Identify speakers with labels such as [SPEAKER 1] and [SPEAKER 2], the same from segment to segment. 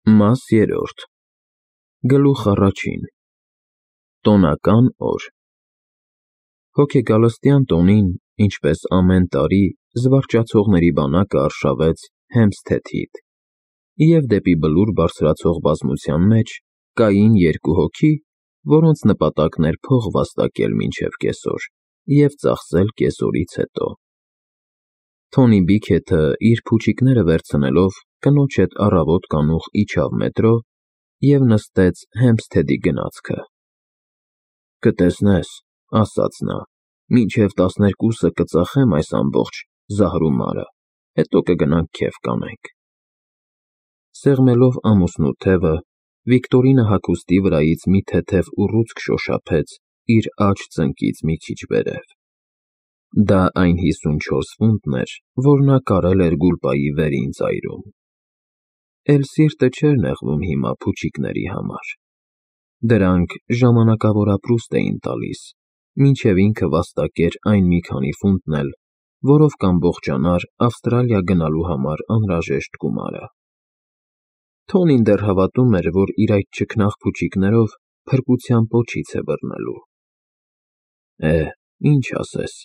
[SPEAKER 1] Մաս երրորդ Գլուխ առաջին Տոնական օր Հոգեգալստյան տոնին, ինչպես ամեն տարի, զվարճացողների բանակը արշավեց Հեմփսթեթից, և դեպի Բլուր բարձրացող բազմության մեջ կային երկու հոգի, որոնց նպատակն էր փող վաստակել մինչև կեսօր և ծախսել կեսօրից հետո։ Թոնի Բիքեթը, իր փուչիկները վերցնելով, կնոջ հետ առավոտ կանուխ իջավ մետրո և նստեց Հեմփսթեթի գնացքը։ «Կտեսնես,» ասաց նա, «մինչև 12-ը կծախեմ այս ամբողջ զահրումարը, հետո կգնանք քեֆ կանենք»։ Սեղմելով ամուսնու թևը, Վիկտորինը հագուստի վրայից մի թեթև ուռուցք շոշափեց իր աջ ծնկից մի քիչ վերև։ Դա այն 54 ֆունտն էր, որ նա կարել էր Գուլպայի վերին ծայրում։ Էլ սիրտը չէր նեղվում հիմա փուչիկների համար։ Դրանք ժամանակավոր ապրուստ էին տալիս, մինչև ինքը վաստակեր այն մի քանի ֆունտն էլ, որով կամբողջանար Ավստրալիա գնալու համար անհրաժեշտ գումարը։ Թոնին դեռ հավատում էր, որ իր այդ չքնաղ փուչիկներով փրկության պոչից է բռնելու։ Ինչ ասես,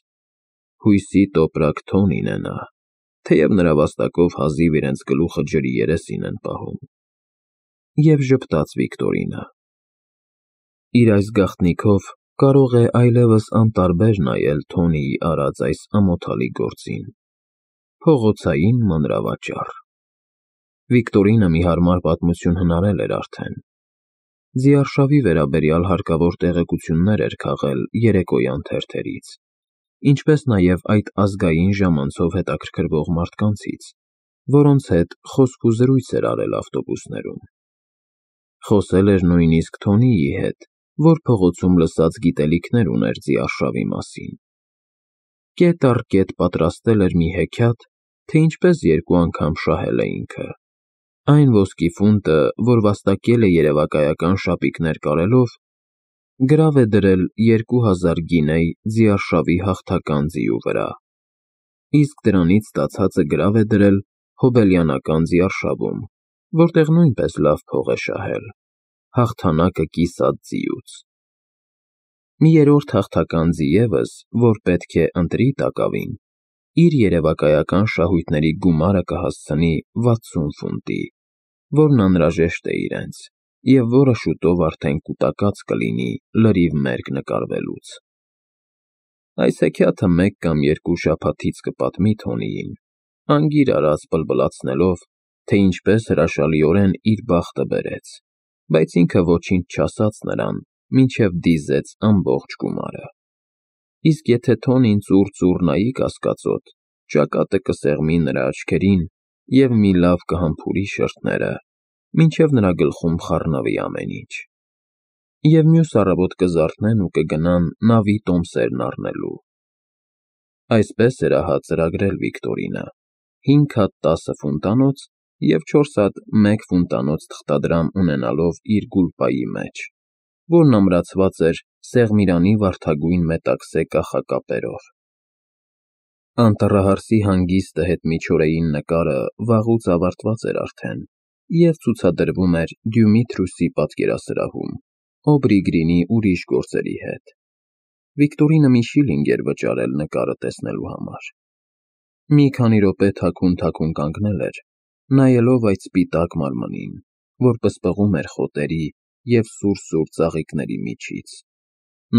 [SPEAKER 1] հույսի տոպրակ Թոնին է նա, թեև նրա վաստակով հազիվ իրենց գլուխը ջրի երեսին են պահում։ Եվ ժպտաց Վիկտորինը։ Իր այս գաղտնիքով կարող է այլևս անտարբեր նայել Թոնիի արած այս ամոթալի գործին։ Փողոցային մանրավաճառ։ Վիկտորինը մի հարմար պատմություն հնարել էր արդեն։ Ձիարշավի վերաբերյալ հարկավոր տեղեկություններ էր քաղել երեկոյան թերթերից, ինչպես նաև այդ ազգային ժամանցով հետաքրքրվող մարդկանցից, որոնց հետ խոսք-ու-զրույց էր արել ավտոբուսներում։ Խոսել էր նույնիսկ Թոնիի հետ, որ փողոցում լսած գիտելիքներ ուներ ձիարշավի մասին։ Կետ առ կետ պատրաստել էր մի հեքիաթ, թե ինչպես երկու անգամ շահել է ինքը։ Այն ոսկի ֆունտը, որ վաստակել է երևակայական շապիկներ կարելով, գրավ է դրել 2000 գինեյ ձիարշավի հաղթական ձիու վրա, իսկ դրանից ստացածը գրավ է դրել հոբելյանական ձիարշավում, որտեղ նույնպես լավ փող է շահել, հաղթանակը կիսած ձիուց։ Մի երրորդ հաղթական ձի ևս, որ պետք է ընտրի տակավին, իր երևակայական շահույթների գումարը կհասցնի 60 ֆունտի, որն անհրաժեշտ է իրենց, և որը շուտով արդեն կուտակած կլինի լրիվ մերկ նկարվելուց։ Այս հեքիաթը մեկ կամ երկու շաբաթից կպատմի Թոնիին, անգիր արած բլբլացնելով, թե ինչպես հրաշալիորեն իր բախտը բերեց, բայց ինքը ոչինչ չասաց նրան, մինչև դիզեց ամբողջ գումարը։ Իսկ եթե Թոնին ծուռ նայի կասկածոտ, ճակատը կսեղմի նրա աչքերին և մի լավ կհամբուրի շրթները, մինչև նրա գլխում խառնվի ամեն ինչ։ Եվ մյուս առավոտ կզարթնեն ու կգնան նավի տոմսերն առնելու։ Այսպես էր ահա ծրագրել Վիկտորինը՝ 5 հատ 10 ֆունտանոց և 4 հատ 1 ֆունտանոց թղթադրամ ունենալով իր Գուլպայի մեջ, որն ամրացված էր Սեղմիրանի վարդագույն մետաքսե կախակապերով։ Անտառահարսի հանգիստը հետմիջօրեին նկարը վաղուց ավարտված էր արդեն և ցուցադրվում էր Դյումիթրուսի պատկերասրահում Օբրի Գրինի ուրիշ գործերի հետ։ Վիկտորինը մի շիլինգ էր վճարել նկարը տեսնելու համար։ Մի քանի րոպե թաքուն կանգնել էր, նայելով այդ սպիտակ մարմնին, որ պսպղում էր խոտերի և սուր ծաղիկների միջից,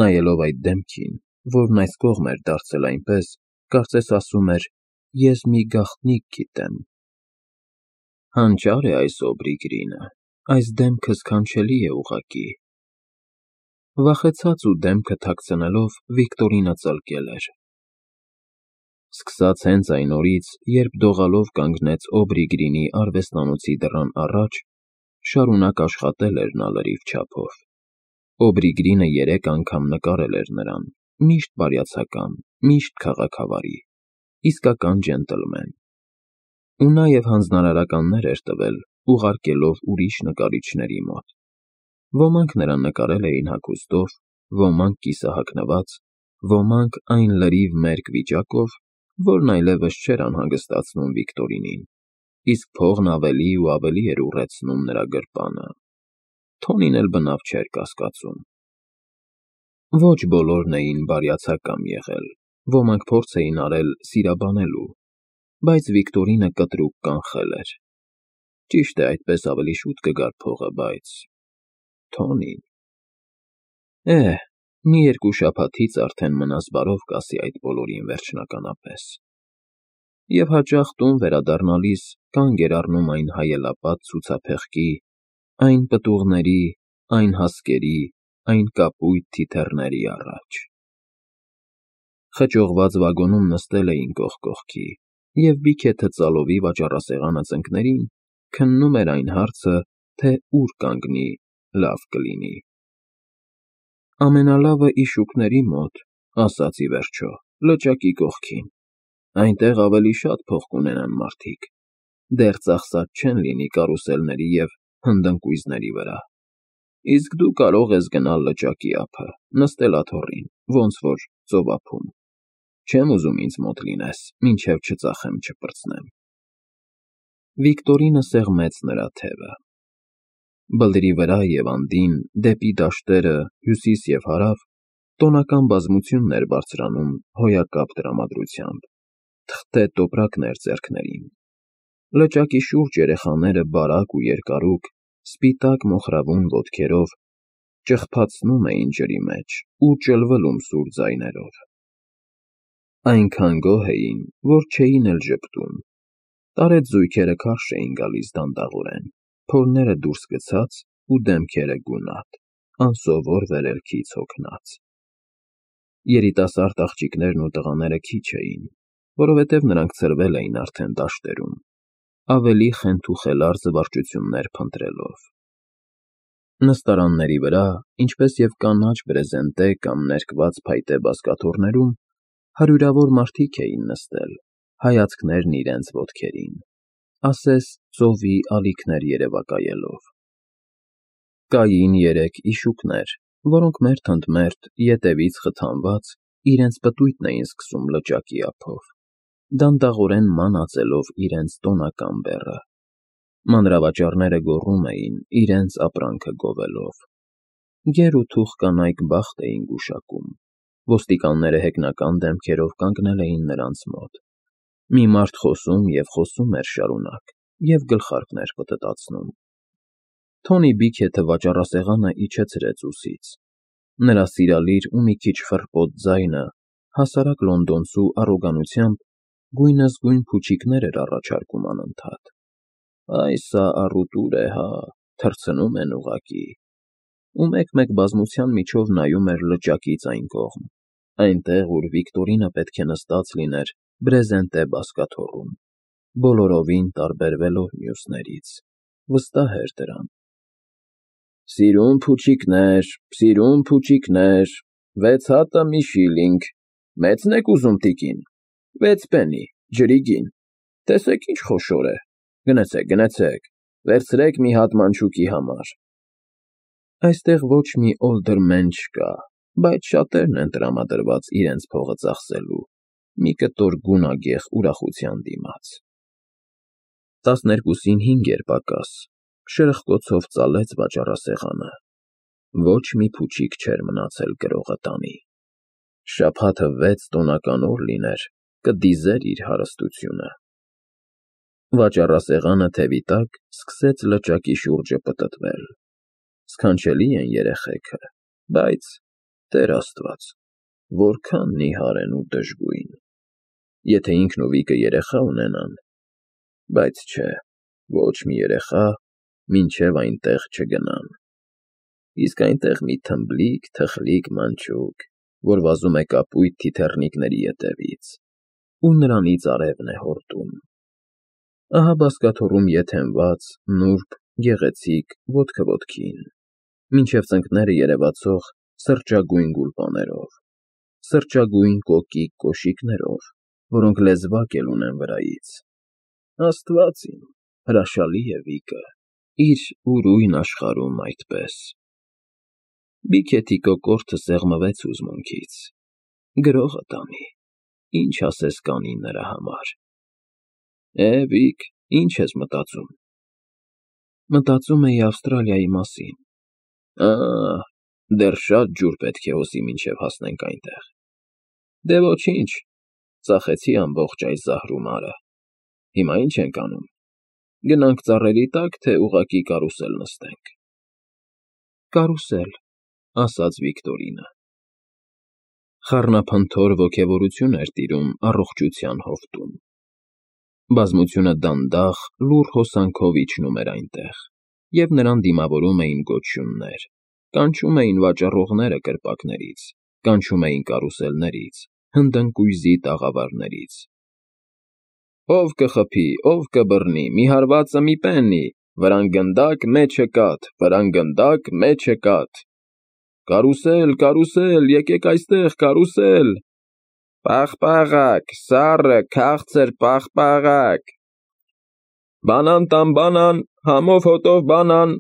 [SPEAKER 1] նայելով այդ դեմքին, որն այս կողմ էր դարձել այնպես, կարծես ասում էր. «Ես մի գաղտնիք գիտեմ»։ Հանճար է այս Օբրի Գրինը, այս դեմքը սքանչելի է ուղղակի։ Վախեցած ու դեմքը թաքցնելով Վիկտորինը ծլկել էր։ Սկսած հենց այն օրից, երբ դողալով կանգնեց Օբրի Գրինի արվեստանոցի դռան առաջ, շարունակ աշխատել էր նա լրիվ չափով։ Օբրի Գրինը 3 անգամ նկարել էր նրան, միշտ բարյացակամ, միշտ քաղաքավարի, իսկական ջենտլմեն։ Ու նաև հանձնարարականներ էր տվել, ուղարկելով ուրիշ նկարիչների մոտ։ Ոմանք նրան նկարել էին հագուստով, ոմանք կիսահագնված, ոմանք այն լրիվ մերկ վիճակով, որն այլևս չէր անհանգստացնում Վիկտորինին։ իսկ փողն ավելի ու ավելի էր ուռեցնում նրա գրպանը։ Թոնին էլ բնավ չէր կասկածում։ Ոչ բոլորն էին բարյացակամ եղել, ոմանք փորձ էին արել սիրաբանելու, բայց Վիկտորինը կտրուկ կանխել էր։ Ճիշտ է, այդպես ավելի շուտ կգար փողը, բայց… Թոնին… մի երկու շաբաթից արդեն մնաս բարով կասի այդ բոլորին վերջնականապես։ Եվ հաճախ տուն վերադառնալիս կանգ էր առնում այն հայելապատ ցուցափեղկի, այն պտուղների, այն հասկերի, այն կապույտ թիթեռների առաջ։ Խճողված վագոնում նստել էին կողք կողքի, և Բիքեթը ծալովի վաճառասեղանը ծնկներին քննում էր այն հարցը, թե ուր կանգնի լավ կլինի։ Ամենալավը Իշուկների մոտ, ասաց ի վերջո, լճակի կողքին, այնտեղ ավելի շատ փող կունենան մարդիկ, դեռ ծախսած չեն լինի կարուսելների և հնդընկույզների վրա, իսկ դու կարող ես գնալ լճակի ափը, նստել աթոռին, ոնց որ ծովափում, չեմ ուզում ինձ մոտ լինես, մինչև չծախեմ չպրծնեմ։ Վիկտորինը սեղմեց նրա թևը։ Բլրի վրա և անդին, դեպի դաշտերը, հյուսիս և հարավ, տոնական բազմությունն էր բարձրանում հոյակապ տրամադրությամբ, թղթե տոպրակներ ձեռքներին։ Լճակի շուրջ երեխաները բարակ ու երկարուկ, սպիտակ մոխրավուն ոտքերով ճղփացնում էին ջրի մեջ ու ճլվելում սուր ձայներով։ Այնքան գոհ էին, որ չէին էլ ժպտում։ Տարեց զույգերը քարշ էին գալիս դանդաղորեն, փորները դուրս գցած ու դեմքերը գունատ, անսովոր վերելքից հոգնած։ Երիտասարդ աղջիկներն ու տղաները քիչ էին, որովհետև նրանք ցրվել էին արդեն դաշտերում, ավելի խենթուխելար զվարճություններ փնտրելով։ Նստարանների վրա, ինչպես և կանաչ բրեզենտե կամ ներկված փայտե բազկաթոռներում, հարյուրավոր մարդիկ էին նստել, հայացքներն իրենց ոտքերին, ասես ծովի ալիքներ երևակայելով։ Կային երեք Իշուկներ, որոնք մերթ ընդ մերթ, ետևից խթանված, իրենց պտույտն էին սկսում լճակի ափով, դանդաղորեն մանածելով իրենց տոնական բեռը։ Մանրավաճառները գոռում էին, իրենց ապրանքը գովելով։ Գեր ու թուխ կանայք բախտ էին գուշակում, ոստիկանները հեգնական դեմքերով կանգնել էին նրանց մոտ։ Մի մարդ խոսում և խոսում էր շարունակ և գլխարկներ պտտացնում։ Թոնի Բիքեթը վաճառասեղանը իջեցրեց ուսից։ Նրա սիրալիր ու մի քիչ խռպոտ ձայնը հասարակ լոնդոնցու առոգանությամբ գույնզգույն փուչիկներ էր առաջարկում անընդհատ։ Այ սա առուտուր է, հա, թռցնում են ուղղակի։ Ու մեկ-մեկ բազմության միջով նայում էր լճակից այն կողմ, այնտեղ, ուր Վիկտորինը պետք է նստած լիներ բրեզենտե բազկաթոռում, բոլորովին տարբերվելով մյուսներից, վստահ էր դրան։ Սիրուն փուչիկներ, 6 հատը մի շիլինգ, մեծն եք ուզում, տիկին, 6 պենի, ջրի գին, տեսեք ինչ խոշոր է, գնացեք, վերցրեք մի հատ մանչուկի համար։ Այստեղ ոչ մի օլդերմեն չկա, բայց շատերն են տրամադրված իրենց փողը ծախսելու մի կտոր գունագեղ ուրախության դիմաց։ 12-5 էր պակաս, շրխկոցով ծալեց վաճառասեղանը։ Ոչ մի փուչիկ չէր մնացել գրողը տանի։ Շաբաթը 6 տոնական օր լիներ, կդիզեր իր հարստությունը։ Վաճառասեղանը թևի տակ սկսեց լճակի շուրջը պտտվել։ Սքանչելի են երեխեքը, բայց, Տեր Աստված, որքան նիհար են ու դժգույն։ Եթե ինքն ու Վիկը երեխա ունենան, բայց չէ, ոչ մի երեխա, մինչև այնտեղ չգնան։ Իսկ այնտեղ մի թխլիկ մանչուկ, որ վազում է կապույտ թիթեռնիկների ետևից, ու նրանից արևն է հորդում։ Ահա բազկաթոռում ետ հենված, նուրբ, գեղեցիկ, ոտքը ոտքին, մինչև ծնկները երևացող սրճագույն գուլպաներով, սրճագույն կոկիկ կոշիկներով, որոնք լեզվակ էլ ունեն վրայից։ Աստված իմ, հրաշալի է Վիկը, իր ուրույն աշխարհում այդպես։ Բիքեթի կոկորդը սեղմվեց հուզմունքից։ Գրողը տանի, ինչ ասես կանի նրա համար։ Վիկ, Ինչ ես մտածում։ Մտածում էի Ավստրալիայի մասին։ Դեռ շատ ջուր պետք է հոսի, մինչև հասնենք այնտեղ։ Դե ոչինչ, ծախեցի ամբողջ այս զահրումարը։ Հիմա ինչ ենք անում։ Գնանք ծառերի տակ, թե ուղղակի կարուսել նստենք։ Կարուսել, ասաց Վիկտորինը։ Խառնափնթոր ոգևորություն էր տիրում առողջության հովտում։ Բազմությունը դանդաղ, լուռ հոսանքով իջնում էր այնտեղ, և նրան դիմավորում էին գոչյուններ, կանչում էին վաճառողները կրպակներից, կանչում էին կարուսելներից, հնդընկույզի տաղավարներից։ Ով կխփի, ով կբռնի, մի հարվածը մի պեննի, վրան գնդակ, մեջը կաթ, վրան գնդակ, մեջը կաթ։ Կարուսել, կարուսել, եկեք այստեղ, կարուսել։ Պաղպաղակ, սառը, քաղցր պաղպաղակ։ Բանան տան բանան, համով հոտով բանան։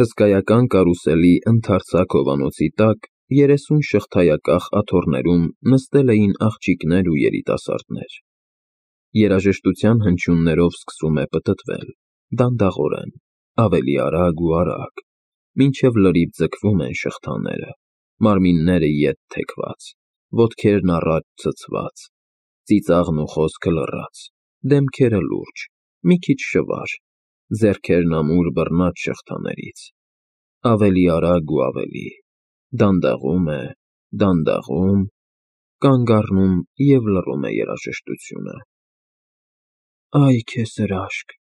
[SPEAKER 1] Հսկայական կարուսելի ընդարձակ հովանոցի տակ 30 շղթայակախ աթոռներում նստել էին աղջիկներ ու երիտասարդներ։ Երաժշտության հնչյուններով սկսում է պտտվել, դանդաղորեն, ավելի արագ ու արագ, մինչև լրիվ ձգվում են շղթաները, մարմինները ետ թեքված, ոտքերն առաջ ցցված, ծիծաղն ու խոսքը լռած, դեմքերը լուրջ, մի քիչ շվար, ձեռքերն ամուր բռնած շղթաներից, ավելի արագ ու ավելի, դանդաղում է, դանդաղում, կանգ առնում և լռում է երաժշտությունը։ Այ քեզ հրաշք,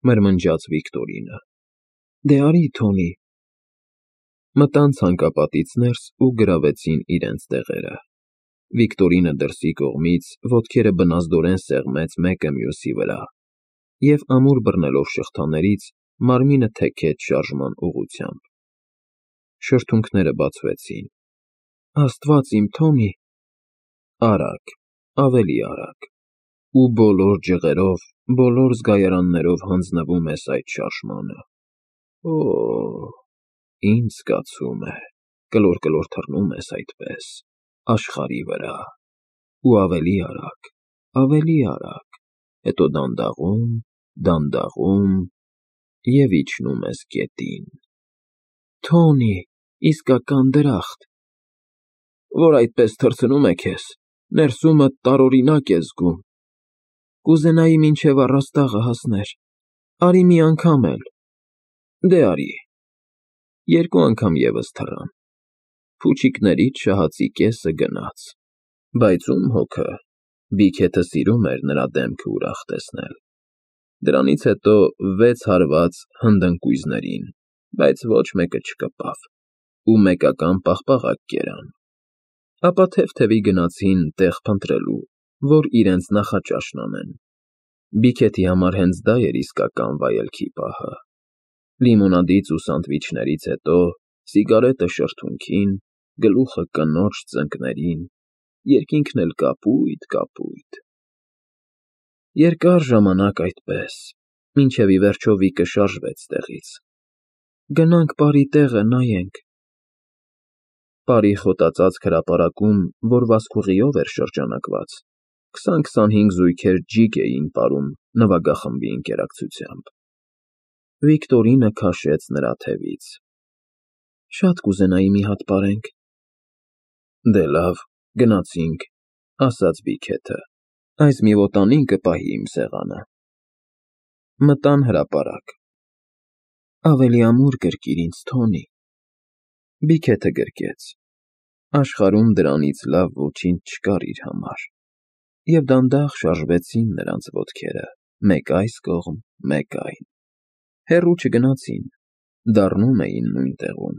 [SPEAKER 1] մրմնջաց Վիկտորինը։ Դե արի, Թոնի։ Մտան ցանկապատից ներս ու գրավեցին իրենց տեղերը։ Վիկտորինը դրսի կողմից ոտքերը բնազդորեն սեղմեց մեկը մյուսի վրա և ամուր բռնելով շղթաներից մարմինը թեքեց շարժման ուղղությամբ։ Շրթունքները բացվեցին։ Աստված իմ, Թոնի։ Արագ, ավելի արագ, ու բոլոր ջղերով, բոլոր զգայարաններով հանձնվում ես այդ շարժմանը։ Ինչ զգացում է, կլոր թռնում ես այդպես, աշխարհի վրա, ու ավելի արագ, հետո դանդաղում, դանդաղում, և իջնում ես գետին։ Թոնի, իսկական դրախտ։ Որ այդպես թռցնում է քեզ, ներսումդ տարօրինակ ես զգում։ Կուզենայի մինչև առաստաղը հասներ, արի մի անգամ էլ։ Դե արի։ 2 անգամ ևս թռան։ Փուչիկներից շահածի կեսը գնաց։ Բայց ում հոգը, Բիքեթը սիրում էր նրա դեմքը ուրախ տեսնել։ Դրանից հետո 6 հարված հնդընկույզներին, բայց ոչ մեկը չկպավ, ու մեկական պաղպաղակ կերան։ Ապա թեթևի գնացին տեղ փնտրելու, որ իրենց նախաճաշն անեն։ Բիքեթի համար հենց դա էր իսկական վայելքի պահը։ Լիմոնադից ու սանդվիչներից հետո սիգարետը շրթունքին, գլուխը կնոջ ծնկներին, երկինքն էլ կապույտ։ Երկար ժամանակ այդպես, մինչև ի վերջո Վիկը շարժվեց տեղից։ Գնանք պարի տեղը նայենք։ Պարի խոտածածկ հրապարակում, որ վազքուղիով էր շրջանակված, 20-25 զույգեր ջիգ էին պարում նվագախմբի ընկերակցությամբ։ Վիկտորինը քաշեց նրա թևից։ Շատ կուզենայի մի հատ պարենք։ Դե լավ, գնացինք, ասաց Բիքեթը, այս մի ոտանին կպահի իմ սեղանը։ Մտան հրապարակ։ Ավելի ամուր գրկիր ինձ, Թոնի։ Բիքեթը գրկեց։ Աշխարհում դրանից լավ ոչինչ չկար իր համար։ Եվ դանդաղ շարժվեցին նրանց ոտքերը, մեկ այս կողմ, մեկ այն։ Հեռու չգնացին, դառնում էին նույն տեղում,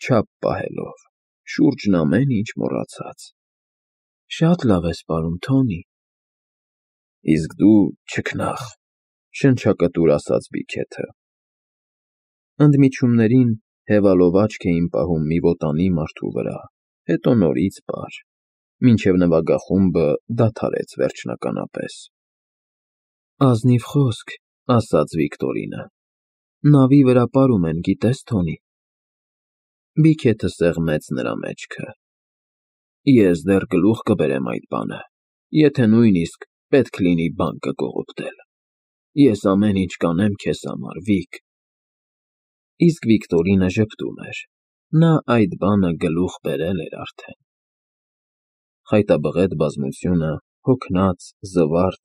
[SPEAKER 1] չափ պահելով, շուրջն ամեն ինչ մոռացած։ Շատ լավ ես պարում, Թոնի։ Իսկ դու չքնաղ, շնչակտուր ասաց Բիքեթը։ Ընդմիջումներին հևալով աչք էին պահում մի ոտանի մարդու վրա, հետո նորից պար, մինչև նվագախումբը դադարեց վերջնականապես։ Ազնիվ խոսք, ասաց Վիկտորինը։ Նավի վրա պարում են, գիտես, Թոնի։ Բիքեթը սեղմեց նրա մեջքը։ Ես դեռ գլուխ կբերեմ այդ բանը, եթե նույնիսկ պետք լինի բան կկողոպտել։ Ես ամեն ինչ կանեմ քեզ համար, Վիկ։ Իսկ Վիկտորինը ժպտում էր։ Նա այդ բանը գլուխ բերել էր արդեն։ Խայտաբղետ բազմությունը, հոգնած, զվարթ,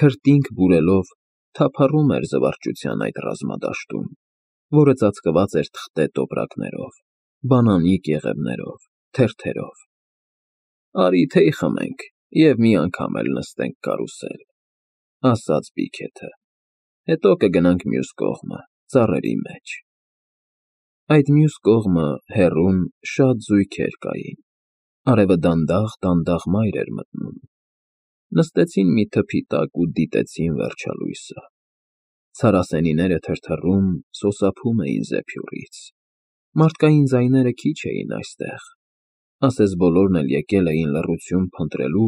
[SPEAKER 1] քրտինք բուրելով, թափառում էր զվարճության այդ ռազմադաշտում, որը ծածկված էր թղթե տոպրակներով, բանանի կեղևներով, թերթերով։ Արի թեյ խմենք և մի անգամ էլ նստենք կարուսել, ասաց Բիքեթը, հետո կգնանք մյուս կողմը, ծառերի մեջ։ Այդ մյուս կողմը հեռուն շատ զույգեր կային, արևը դանդաղ մայր էր մտնում։ Նստեցին մի թփի տակ ու դիտեցին վերջալույսը։ Ցարասենիները թրթռում, սոսափում էին զեփյուռից։ Մարդկային ձայները քիչ էին այստեղ, ասես բոլորն էլ եկել էին լռություն փնտրելու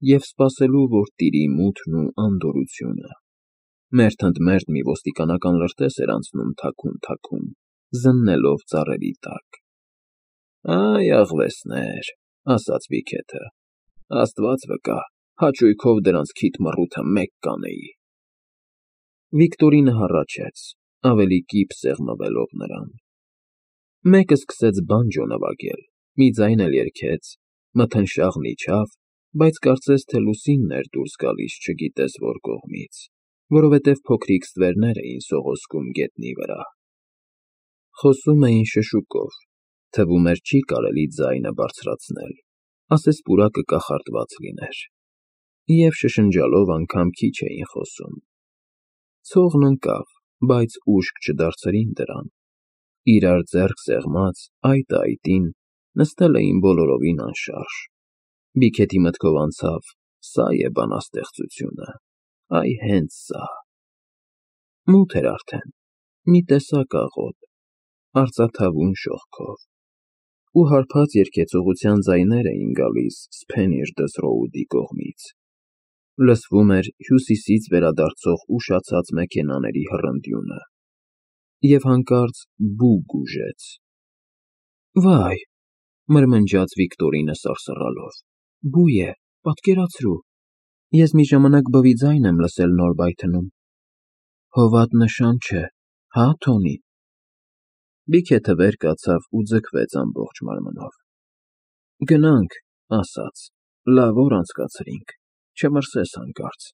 [SPEAKER 1] և սպասելու, որ տիրի մութն ու անդորրությունը։ Մերթ ընդ մերթ մի ոստիկանական լրտես էր անցնում թաքուն, զննելով ծառերի տակ։ Այ աղվեսներ, ասաց Բիքեթը, Աստված վկա, հաճույքով դրանց քիթ մռութը մեկ կանեի։ Վիկտորինը հառաչեց, ավելի կիպ սեղմվելով նրան։ Մեկը սկսեց բանջո նվագել, մի ձայն էլ երգեց, մթնշաղն իջավ, բայց կարծես թե լուսինն էր դուրս գալիս չգիտես որ կողմից, որովհետև փոքրիկ ստվերներ էին սողոսկում գետնի վրա։ Խոսում էին շշուկով, թվում էր չի կարելի ձայնը բարձրացնել, ասես պուրակը կախարդված լիներ, և շշնջալով անգամ քիչ էին խոսում։ Ցողն ընկավ, բայց ուշք չդարձրին դրան։ Իրար ձեռք սեղմած, այտը այտին, նստել էին բոլորովին անշարժ։ Բիքեթի մտքով անցավ. սա է բանաստեղծությունը, այ հենց սա։ Մութ էր արդեն, մի տեսակ աղոտ, արծաթավուն շողքով, ու հարբած երգեցողության ձայներ էին գալիս Սփենիրդս Ռոուդի կողմից։ Լսվում էր հյուսիսից վերադարձող ուշացած մեքենաների հռնդյունը։ Եվ հանկարծ բու գուժեց։ Վայ, մրմնջաց Վիկտորինը սարսռալով, բու է, պատկերացրու, ես մի ժամանակ բվի ձայն եմ լսել նոր բայթնում։ Հովատ նշան չէ, հա, Թոնի։ Բիքեթը վեր կացավ ու ձգվեց ամբողջ մարմնով։ Գնանք, ասաց, լավ օր անցկացրինք, չմրսես հանկարծ։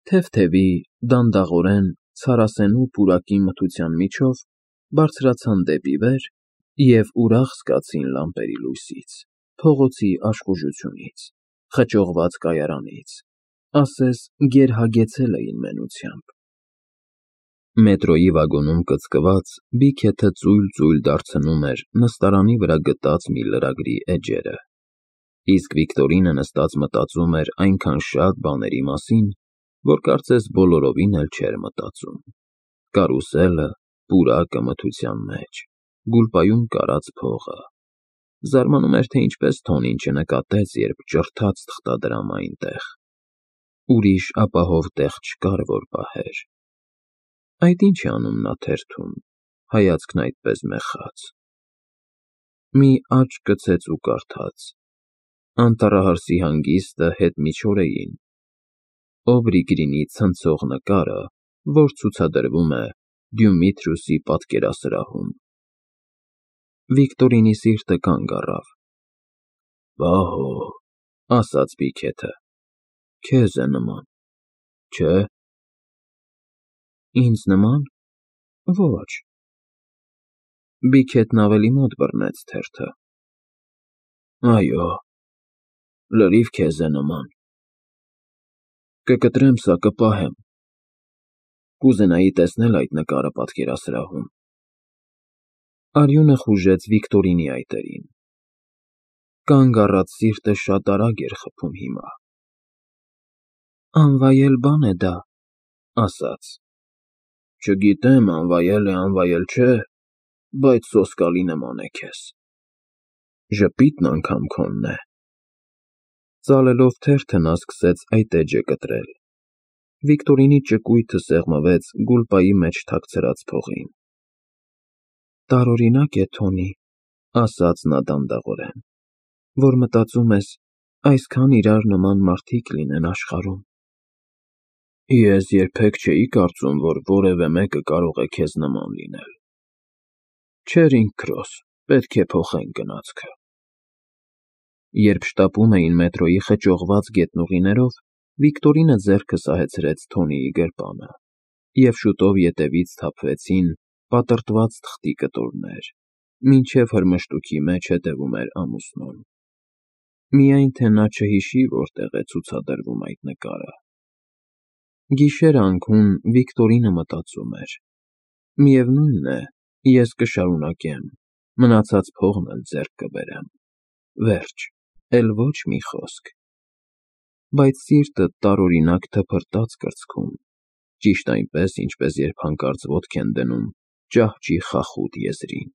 [SPEAKER 1] Թեթևի, դանդաղորեն, ցարասենու պուրակի մթության միջով բարձրացան դեպի վեր և ուրախ զգացին լամպերի լույսից, փողոցի աշխուժությունից, խճողված կայարանից, ասես գերհագեցել էին մենությամբ։ Մետրոյի վագոնում կծկված Բիքեթը ծույլ դարձնում էր նստարանի վրա գտած մի լրագրի էջերը, իսկ Վիկտորինը նստած մտածում էր այնքան շատ բաների մասին, որ կարծես բոլորովին էլ չէր մտածում. կարուսելը, պուրակը մթության մեջ, գուլպայում կարած փողը։ Զարմանում էր, թե ինչպես Թոնին չնկատեց, երբ ճռթաց թղթադրամը այնտեղ։ Ուրիշ ապահով տեղ չկար, որ պահեր։ Այդ ի՞նչ է անում նա թերթում, հայացքն այդպես մեխած։ Մի աչք կցեց ու կարդաց. Անտառահարսի հանգիստը հետմիջօրեին։ Օբրի Գրինի ցնցող նկարը, որ ցուցադրվում է Դյումիթրուսի պատկերասրահում։ Վիկտորինի սիրտը կանգ առավ։ Վահո, ասաց Բիքեթը, քեզ է նման, չէ՞։ Ինձ նման։ Ոչ։ Բիքեթն ավելի մոտ բռնեց թերթը։ Այո, լրիվ քեզ է նման։ Կկտրեմ սա, կպահեմ։ Կուզենայի տեսնել այդ նկարը պատկերասրահում։ Արյունը խուժեց Վիկտորինի այտերին։ Կանգ առած սիրտը շատ արագ էր խփում հիմա։ Անվայել բան է դա, ասաց։ Չգիտեմ, անվայել է, անվայել չէ, բայց սոսկալի նման է քեզ։ Ժպիտն անգամ քոնն է։ Ծալելով թերթը նա սկսեց այդ էջը կտրել։ Վիկտորինի ճկույթը սեղմվեց գուլպայի մեջ թաքցրած փողին։ Տարօրինակ է, Թոնի, ասաց նա դանդաղորեն, որ մտածում ես, այսքան իրար նման մարդիկ լինեն աշխարհում։ Ես երբեք չէի կարծում, որ որևէ մեկը կարող է քեզ նման լինել։ Չերինգ Քրոս, պետք է փոխենք գնացքը։ Երբ շտապում էին մետրոյի խճողված գետնուղիներով, Վիկտորինը ձեռքը սահեցրեց Թոնիի գրպանը, և շուտով ետևից սթափվեցին պատրտված թղթի կտորներ, մինչև հրմշտուքի մեջ հետևում էր ամուսնուն։ Միայն թե նա չհիշի որտեղ է ցուցադրվում այդ նկարը։ Գիշերը անքուն Վիկտորինը մտածում էր. միևնույն է, ես կշարունակեմ, մնացած փողն էլ ձեռք կբերեմ, վերջ, էլ ոչ մի խոսք։ Բայց սիրտը տարօրինակ թփրտաց կրծքում, ճիշտ այնպես, ինչպես երբ հանկարծ ոտք են դնում ճահճի խախուտ եզրին։